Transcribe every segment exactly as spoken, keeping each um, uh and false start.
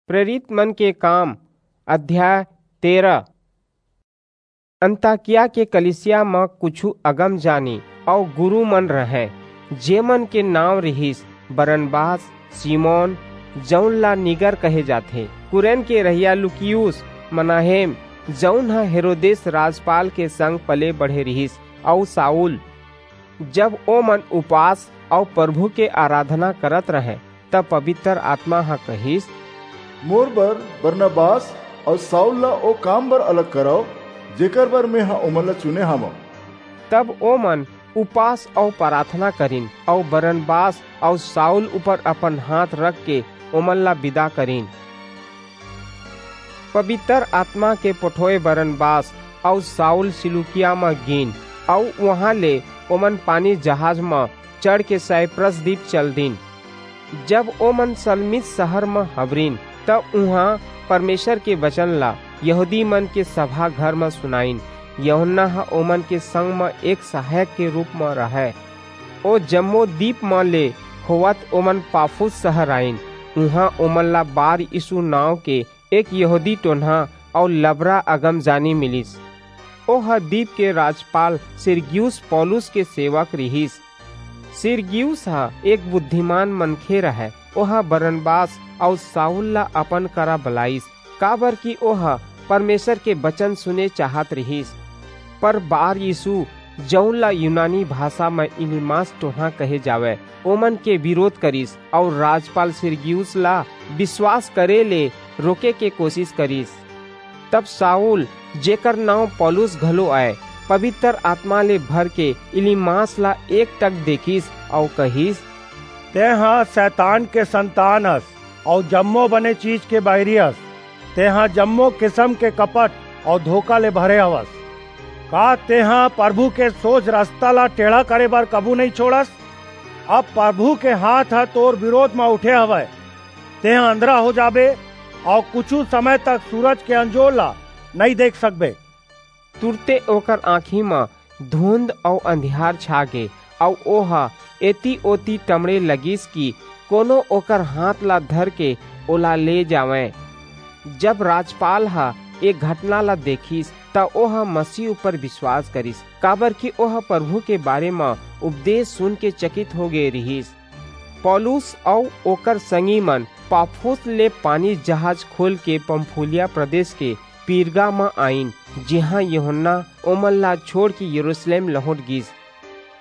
प्रेरित मन के काम, अध्याय तेरह। अंताकिया के कलीसिया म कुछु अगमजानी अऊ गुरू मन रहंय, जेमन के नांव रिहिस बरनबास, सिमोन, जऊन ला नीगर कहे जाथे, कुरेन के रहइया लुकियुस, मनाहेम, जऊन ह हेरोदेस राजपाल के संग पले बढ़े रिहिस, अऊ साऊल। जब ओमन उपास अऊ परभू के अराधना करत रहंय, त पबितर आतमा ह कहिस, मोर बर बरनबास अऊ साऊल ला ओ काम बर अलग करव, जेकर बर मेंह ओमन ला चुने हवंव। तब ओमन उपास अऊ पराथना करिन, अऊ बरनबास अऊ साऊल ऊपर अपन हांथ रखके ओमन ला बिदा करिन। पबितर आतमा के पठोय बरनबास अऊ साऊल सिलूकिया म गीन, अऊ उहां ले ओमन पानी जहाज म चढ़के साइप्रस दीप चल दीन। जब ओमन सलमीस सहर म हबरिन, त उहां परमेसर के बचन ला यहूदी मन के सभा घर म सुनाईन। यूहन्ना ह ओमन के संग म एक सहायक के रूप म रहय। ओ जम्मो दीप म ले होवत ओमन पाफुस सहर आईन। उहां ओमन ला बार यीसू नांव के एक यहूदी टोनहा अऊ लबरा अगमजानी मिलिस। ओह दीप के राजपाल सिरगियुस पौलुस के सेवक रिहिस। सिरगियुस ह एक बुद्धिमान मनखे रहय। ओह बरनबास अऊ साऊल ला अपन करा बलाईस, काबरकि ओह परमेसर के बचन सुने चाहत रिहिस। पर बार यीसू, जऊन ला यूनानी भासा म इलीमास टोनहा कहे जावय, ओमन के बिरोध करिस अऊ राजपाल सिरगियुस ला बिसवास करे ले रोके के कोसिस करिस। तब साऊल, जेकर नांव पौलुस घलो अय, पबितर आतमा ले भरके इलीमास ला एकटक देखिस अऊ कहिस, तेंह सैतान के संतान अस अऊ जम्मो बने चीज के बईरी अस। तेंह जम्मो किसम के कपट अऊ धोखा ले भरे हवस। का तेंह परभू के सोझ रसता ला टेढ़ा करे बर कभू नइं छोंड़स? अब परभू के हांथ ह तोर बिरोध म उठे हवय। तेंह अंधरा हो जाबे अऊ कुछू समय तक सूरज के अंजोर ला नइं देख सकबे। तुरते ओकर आंखी म धुंध अऊ अंधियार छा गे, अऊ ओह एती-ओती टमड़े लगिस कि कोनो ओकर हांथ ला धरके ओला ले जावय। जब राजपाल ह ए घटना ला देखिस, त ओह मसीह ऊपर बिसवास करिस, काबरकि ओह परभू के बारे म उपदेस सुनके चकित हो गे रिहिस। पौलुस अऊ ओकर संगी मन पाफुस ले पानी जहाज खोलके पंफूलिया प्रदेस के पिरगा म आईन, जिहां यूहन्ना ओमन ला छोंड़के यरूसलेम लहुंट गीस।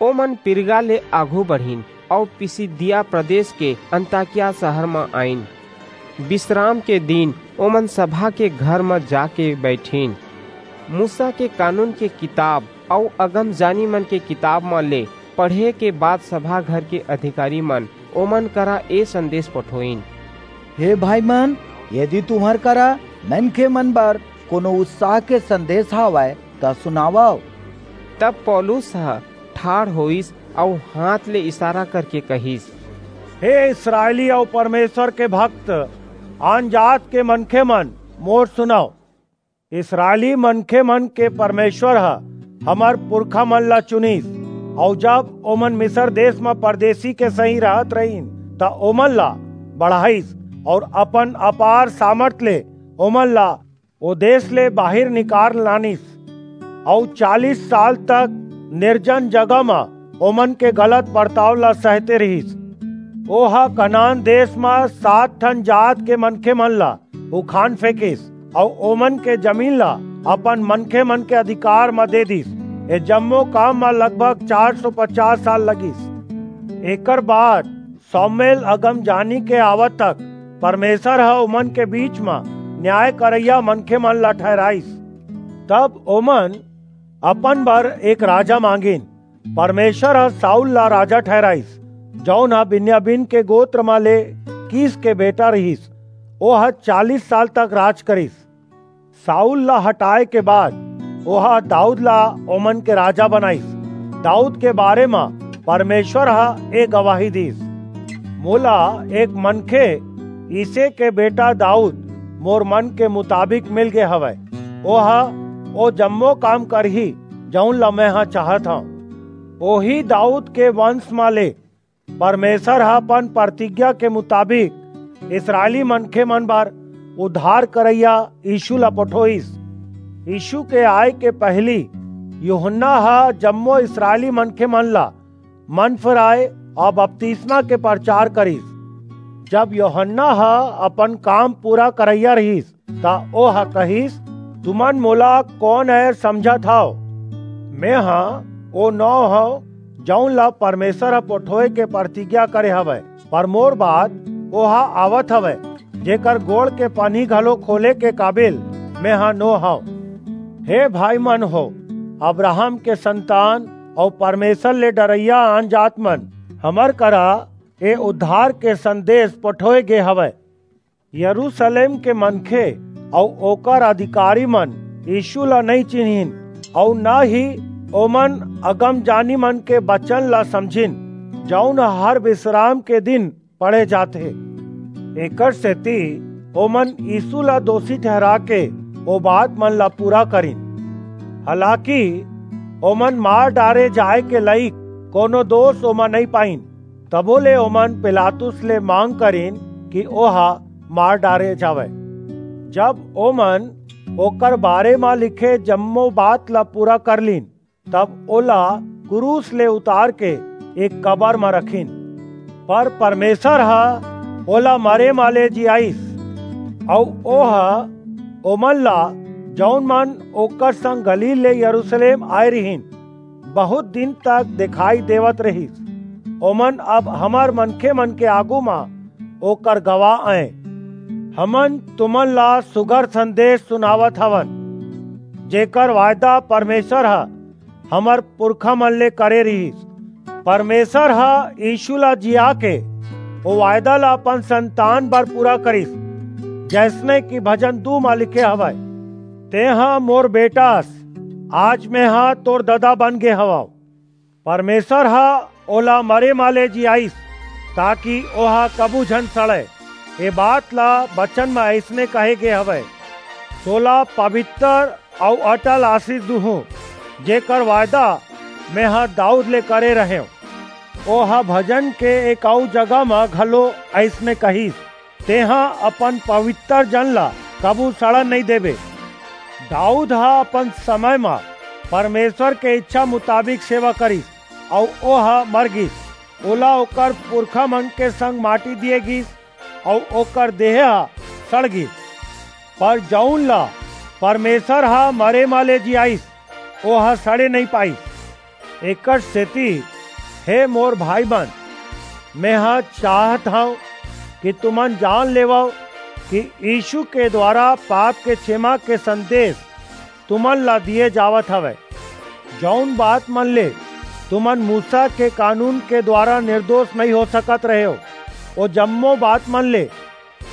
ओमन पिरगा ले आघू बढ़िन अऊ पिसिदिया प्रदेस के अंताकिया सहर म आईन। बिसराम के दिन ओमन सभा के घर म जाके बईठिन। मूसा के कानून के किताब अऊ अगमजानी मन के किताब म ले पढ़े के बाद सभा घर के अधिकारी मन ओमन करा ए संदेस पठोईन, हे भाईमन, यदि तुम्हर करा मनखेमन बर कोनो उत्साह के संदेस हवय, त सुनावव। तब पौलुस ह ठाढ़ होईस अऊ हांथ ले इसारा करके कहिस, हे इसरायली अऊ परमेसर के भक्त, आनजात के मनखेमन, मोर सुनव। इसरायली मनखेमन के परमेसर ह हमर पुरखामन ला चुनिस, अऊ जब ओमन मिसर देस म परदेसी के सहीं रहत रहिन, त ओमन ला बढ़ाईस अऊ अपन अपार सामरथ ले ओमन ला ओ देस ले बाहिर निकार लानिस, अऊ चालीस साल तक निरजन जगह म ओमन के गलत बरताव ला सहते रिहिस। ओह कनान देस म सात ठन जात के मनखेमन ला उखान फेंकिस, अऊ ओमन के जमीन ला अपन मनखेमन के अधिकार म दे दीस। ए जम्मो काम म लगभग चार सौ पचास साल लगिस। एकर बाद सामुएल अगमजानी के आवत तक परमेसर ह ओमन के बीच म न्याय करइया मनखेमन ला ठहिराईस। तब ओमन अपन बर एक राजा मांगिन। परमेसर ह साऊल ला राजा ठहिराईस, जऊन ह बिन्यामीन के गोत्र म ले कीस के बेटा रिहिस। ओह चालीस साल तक राज करिस। साऊल ला हटाय के बाद ओह दाऊद ला ओमन के राजा बनाईस। दाऊद के बारे म परमेसर ह ए गवाही दीस, मोला एक मनखे, यिशै के बेटा दाऊद, मोर मन के मुताबिक मिल गे हवय। ओह ओ जम्मो काम करही, जऊन ला मेंह चाहत हंव। ओही दाऊद के बंस म ले परमेसर ह अपन परतिज्ञा के मुताबिक इसरायली मनखेमन बर उद्धार करइया यीशु ला पठोइस। यीशु के आय के पहिली यूहन्ना ह जम्मो इस्राएली मनखे मन ला मन फिराए अउ बपतिस्मा के परचार करिस। जब यूहन्ना ह अपन काम पूरा करइया रिहिस, त ओह कहिस, "तुमन मोला कोन अय समझत हव? मेंह ओ नोंह हंव, जऊन ला परमेसर ह पठोय के परतिज्ञा करे हवय, पर मोर बाद ओह आवत हवय, जेकर गोड़ के पानी घलो खोले के काबिल मेंह नो हंव।" हे भाई मन हो, अब्राहम के संतान अऊ परमेसर ले डरइया आनजात मन, हमर करा ए उद्धार के संदेस पठोय गे हवय। यरूसलेम के मनखे अऊ ओकर अधिकारी मन यीशु ला नइं चिन्हिन, अऊ न ही ओमन अगमजानी मन के बचन ला समझिन, जऊन हर बिसराम के दिन पढ़े जाथे। एकर सेति ओमन यीशु ला दोसी ठहरा के ओ बात मन ला पूरा करिन। हालाकि ओमन मार डारे जाय के लइक कोनो दोस ओमा नइं पाइन। तभो ले ओमन पिलातुस ले मांग करिन कि ओह मार डारे जावय। जब ओमन ओकर बारे म लिखे जम्मो बात ला पूरा कर लीन, तब ओला क्रूस ले उतार के एक कबर म रखिन। पर परमेसर ह ओला मरे म ले जियाइस, अऊ ओह ओमन ला, जऊन मन ओकर संग गलील ले यरूसलेम आय रिहिन, बहुत दिन तक देखाई देवत रिहिस। ओमन अब हमर मनखे मन के आगू म ओकर गवाह अंय। हमन तुमन ला सुघर संदेस सुनावत हवन, जेकर वायदा परमेसर ह हमर पुरखा मन ले करे रिहिस। परमेसर ह यीशु ला जिया के ओ वायदा ला अपन संतान बर पूरा करिस, जइसने कि भजन दू म लिखे हवय, "तेंह मोर बेटा अस, आज मेंह तोर ददा बन गे हवंव।" परमेसर ह ओला मरे म ले जियाइस, ताकि ओह कभू झन सड़य। ए बात ला बचन म अइसने कहे गे हवय, "तोला पबितर अऊ अटल आसीस दूहूं, जेकर वायदा मेंह दाऊद ले करे रहेंव।" ओह भजन के एक अऊ जगह म घलो अइसने कहिस, "तेंह अपन पबितर जन ला कभू सड़न नइं देबे।" दाऊद ह अपन समय म परमेसर के इच्छा मुताबिक सेवा करिस, अऊ ओह मर गीस। ओला ओकर पुरखा मन के संग माटी दिये गीस, अऊ ओकर देह ह सड़ गीस। पर जऊन ला परमेसर ह मरे म ले जियाइस, ओह सड़े नइं पाइस। एकर सेति, हे मोर भाई मन, मेंह चाहत हंव कि तुमन जान लेवव कि यीशु के दुवारा पाप के छेमा के संदेस तुमन ला दिये जावत हवय। जऊन बात मन ले तुमन मूसा के कानून के दुवारा निरदोस नइं हो सकत रहेव, ओ जम्मो बात मन ले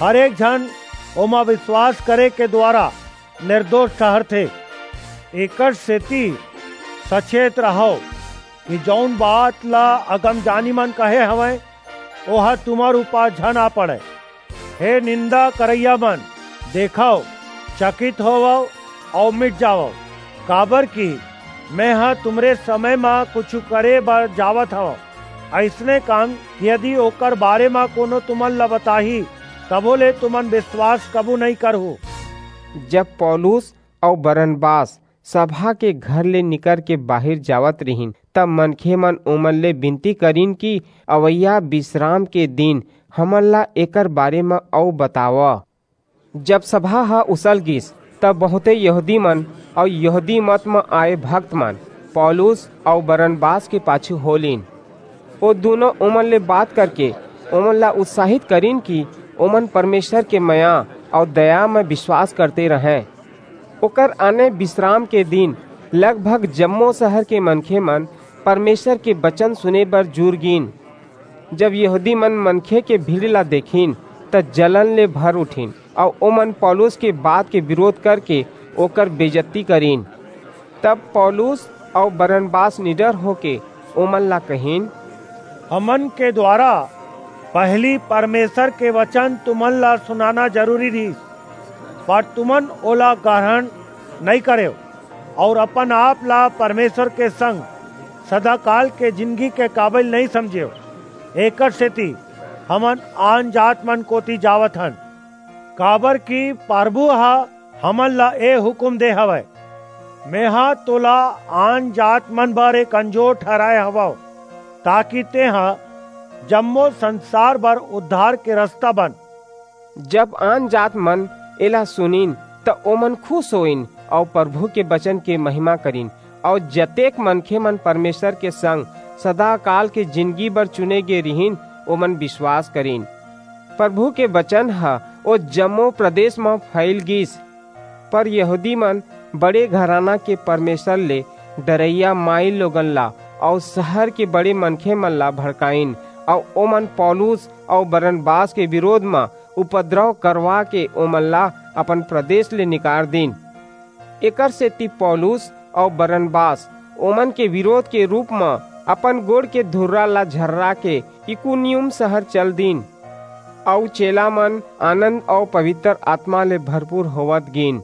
हर एक झन ओमा बिसवास करे के दुवारा निरदोस ठहरथे। एकर सेति सचेत रहव कि जऊन बात ला अगमजानी मन कहे हवंय, ओह तुम्हर ऊपर झन आ पड़य। हे निंदा करइया मन, देखव, चकित होवव अऊ मिट जावव, काबरकि मेंह तुम्हरे समय म कुछू करे बर जावत हवंव। अइसने काम यदि ओकर बारे म कोनो तुमन ला बताही, तभो ले तुमन बिसवास कभू नइं करहू। जब पौलुस अऊ बरनबास सभा के घर ले निकर के बाहिर जावत रिहिन, तब मनखे मन ओमन ले बिनती करिन कि अवइया बिसराम के दिन हमन ला एकर बारे म अऊ बतावव। जब सभा ह उसल गीस, तब बहुंते यहूदी मन अऊ यहूदी मत म आय भक्त मन पौलुस अऊ बरनबास के पाछू हो लीन। ओ दूनों ओमन ले बात करके ओमन ला उत्साहित करिन कि ओमन परमेसर के मया अऊ दया म बिसवास करते रहंय। ओकर आने बिसराम के दिन लगभग जम्मो सहर के मनखे मन परमेसर के बचन सुने बर जुर गीन। जब यहूदी मन मनखे के भीड़ ला देखिन, त जलन ले भर उठिन, अऊ ओमन पौलुस के बात के बिरोध करके ओकर बेजत्ती करिन। तब पौलुस अऊ बरनबास निडर होके ओमन ला कहिन, "हमन के दुवारा पहिली परमेसर के बचन तुमन ला सुनाना जरूरी रिहिस, पर तुमन ओला गरहन नइं करेव, अऊ अपन-आप ला परमेसर के संग सदाकाल के जिनगी के काबिल नइं समझेव। एकर सेति हमन आनजात मन कोति जावत हन।" काबर कि परभू ह हमन ला ए हुकूम दे हवय, "मेंह तोला आन जात मन बर एक अंजोर ठहराय हवंव, ताकि तेंह जम्मो संसार बर उद्धार के रस्ता बन।" जब आन जात मन एला सुनिन, त ओमन खुश होइन अऊ परभू के बचन के महिमा करिन, अऊ जतेक मनखे मन परमेसर के संग सदाकाल के जिनगी बर चुने गे रिहिन, ओमन बिसवास करिन। परभू के बचन ह ओ जम्मो प्रदेस म फइल गीस। पर यहूदी मन बड़े घराना के परमेसर ले डरइया माईलोगन ला अऊ सहर के बड़े मनखे मन ला भड़काईन, अऊ ओमन पौलुस अऊ बरनबास के बिरोध म उपद्रव करवाके ओमन ला अपन प्रदेस ले निकार दीन। एकरसेति पौलुस अऊ बरनबास ओमन के बिरोध के रूप म अपन गोड़ के धुर्रा ला झर्राके इकुनियुम सहर चल दीन। अऊ चेला मन आनंद अऊ पबितर आतमा ले भरपूर होवत गीन।